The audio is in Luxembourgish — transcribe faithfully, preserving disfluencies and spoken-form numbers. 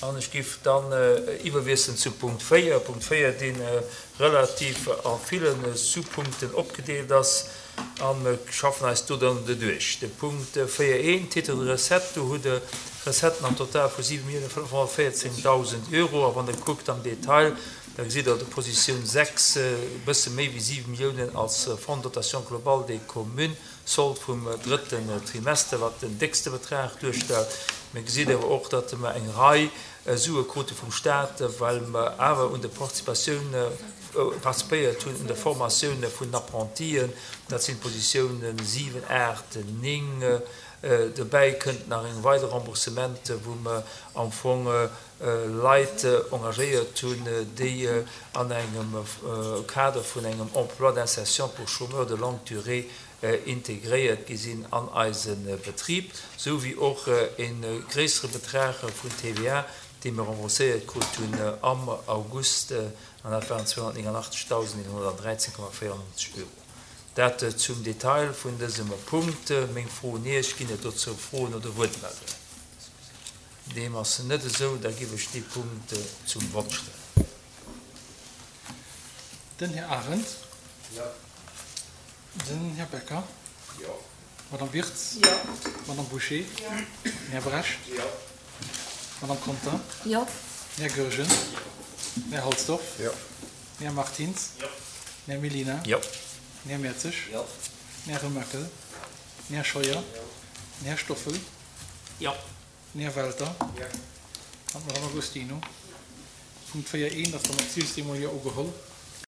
An ech géif dann iwwerwiesselen zu Punkt véier. Punkt véier, dee relativ a ville Sous-Punkten opgedeelt ass. A mir schaffen eis do dann doduerch. De Punkt véier eent, Titre de recettes, do hutt Der Recetten am Total vu siwe Millioune fënnefhonnertvéierzéngdausend Euro. A wann Der kuckt am Detail, da gesitt Der op der Positioun sechs e bësse méi wéi siwe Milliounen als Fonds de dotation globale des communes, Sold vum drëtten Trimester, wat den déckste Betrag duerstellt. Mir gesitt awer och, datt mer eng Rei Sue krute vum Stat, well mer awer un de Participatioun participéiert hunn, un der Formatioun vun den Apprentien. Dat sinn d'Positiounen siwen, aacht, néng. Dobäi kënnt nach eng weider Remboursement, wou mer am Fong Leit engagéiert hunn, déi an engem Kader vun engem Emploi d'insertion pour chômeurs de longue durée integréiert gi sinn an eise Betrib, sou wéi och e gréissere Betrag vun T V A, dee mir rembourséiert krut hunn am August, an dat waren zweehonnertnénganachtezigdausendeenhonnertdräizéng Komma véierannonzeg Euro. Dat zum Detail vun dësem Punkt. Meng Fro un Iech, Ginn et dozou Froen oder Wuertmeldungen? Deem ass net esou, da giff ech dee Punkt zum Vott stellen. Den Här Arendt. Jo. Den Här Becker. Jo. D'Madame Wirtz. Jo. D'Madame Bouché. Jo. Den Här Brecht. Jo. D'Madame Conter. Jo. Den Här Goergen. Jo. Den Här Halsdorf. Jo. Den Här Martins. Jo. Den Här Mellina. Jo. Den Här Mertzig. Jo. Den Här Remakel. Den Här Scheuer. Jo. Den Här Stoffel. Jo. Den Här Welter. Jo. An d'Madame Agostino. Punkt véier eent ass dann och d'Zilstemol jo ugeholl.